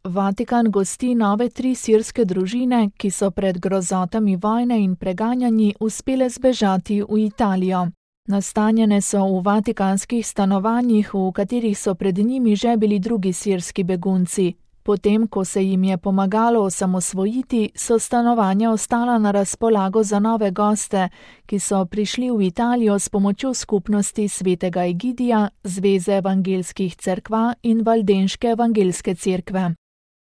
Vatikan gosti nove 3 sirske družine, ki so pred grozotami vojne in preganjanji uspele zbežati v Italijo. Nastanjene so v vatikanskih stanovanjih, v katerih so pred njimi že bili drugi sirski begunci. Potem, ko se jim je pomagalo osamosvojiti, so stanovanja ostala na razpolago za nove goste, ki so prišli v Italijo s pomočjo skupnosti svetega Egidija, Zveze evangelskih cerkva in Valdenške evangelske cerkve.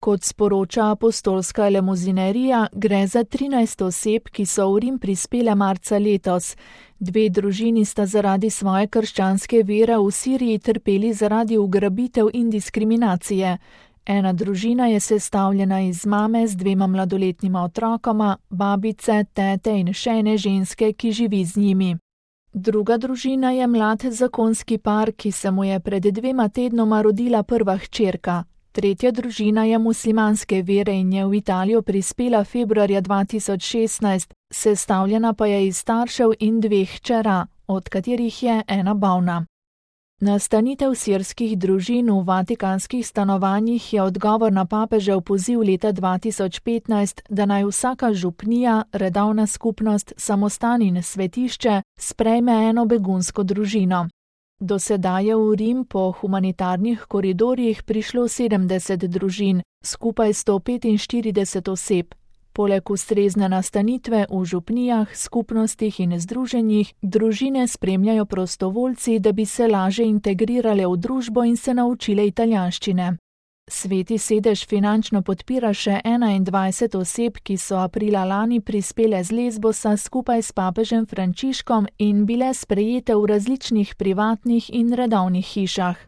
Kot sporoča apostolska elemuzinerija, gre za 13 oseb, ki so v Rim prispele marca letos. 2 družini sta zaradi svoje krščanske vere v Siriji trpeli zaradi ugrabitev in diskriminacije. Ena družina je sestavljena iz mame z 2 mladoletnima otrokoma, babice, tete in še ene ženske, ki živi z njimi. Druga družina je mlad zakonski par, ki se mu je pred 2 tednoma rodila prva hčerka. Tretja družina je muslimanske vere in je v Italijo prispela februarja 2016, sestavljena pa je iz staršev in 2 hčera, od katerih je ena bolna. Nastanitev sirskih družin v vatikanskih stanovanjih je odgovor na papežev poziv leta 2015, da naj vsaka župnija, redovna skupnost, samostan in svetišče sprejme eno begunsko družino. Do sedaj je v Rim po humanitarnih koridorjih prišlo 70 družin, skupaj 145 oseb. Poleg ustrezne nastanitve v župnijah, skupnostih in združenjih, družine spremljajo prostovoljci, da bi se laže integrirale v družbo in se naučile italijanščine. Sveti sedež finančno podpira še 21 oseb, ki so aprila lani prispele z Lesbosa skupaj s papežem Frančiškom in bile sprejete v različnih privatnih in redovnih hišah.